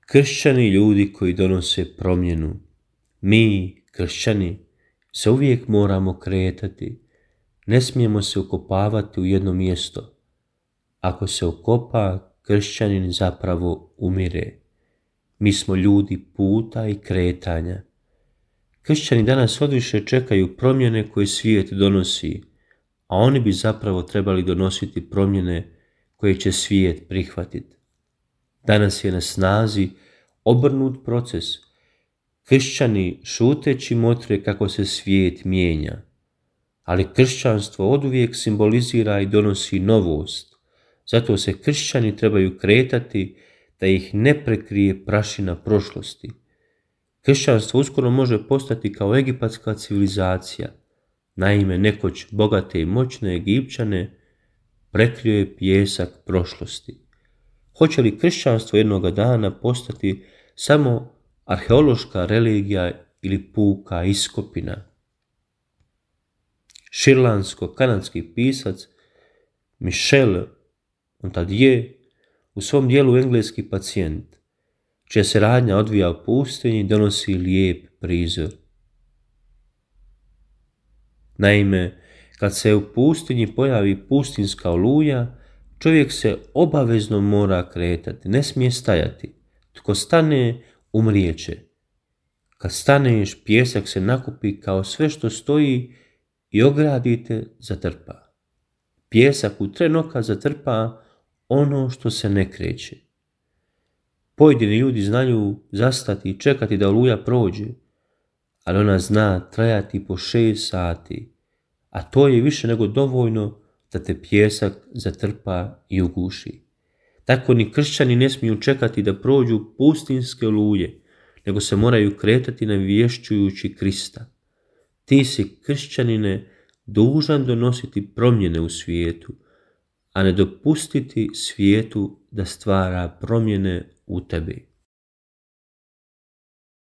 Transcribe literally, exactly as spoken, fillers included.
Kršćani ljudi koji donose promjenu. Mi, kršćani, se uvijek moramo kretati. Ne smijemo se ukopavati u jedno mjesto. Ako se ukopa, kršćanin zapravo umire. Mi smo ljudi puta i kretanja. Kršćani danas odviše čekaju promjene koje svijet donosi, a oni bi zapravo trebali donositi promjene koje će svijet prihvatiti. Danas je na snazi obrnut proces. Kršćani šuteći motre kako se svijet mijenja, ali kršćanstvo oduvijek simbolizira i donosi novost. Zato se kršćani trebaju kretati da ih ne prekrije prašina prošlosti. Kršćanstvo uskoro može postati kao egipatska civilizacija. Naime, nekoć bogate i moćne Egipćane prekrio je pijesak prošlosti. Hoće li kršćanstvo jednoga dana postati samo arheološka religija ili puka iskopina? Šrilansko-kanadski pisac Michel Ontague u svom dijelu Engleski pacijent, čija se radnja odvija u pustinji, donosi lijep prizor. Naime, kad se u pustinji pojavi pustinska oluja, čovjek se obavezno mora kretati, ne smije stajati. Tko stane, umrijeće. Kad staneš, pijesak se nakupi kao sve što stoji i ogradite zatrpa. Pijesak u tren oka zatrpa ono što se ne kreće. Pojedini ljudi znaju zastati i čekati da oluja prođe, ali ona zna trajati po šest sati, a to je više nego dovoljno da te pijesak zatrpa i uguši. Tako ni kršćani ne smiju čekati da prođu pustinske oluje, nego se moraju kretati navješćujući Krista. Ti si, kršćanine, dužan donositi promjene u svijetu, a ne dopustiti svijetu da stvara promjene u tebi.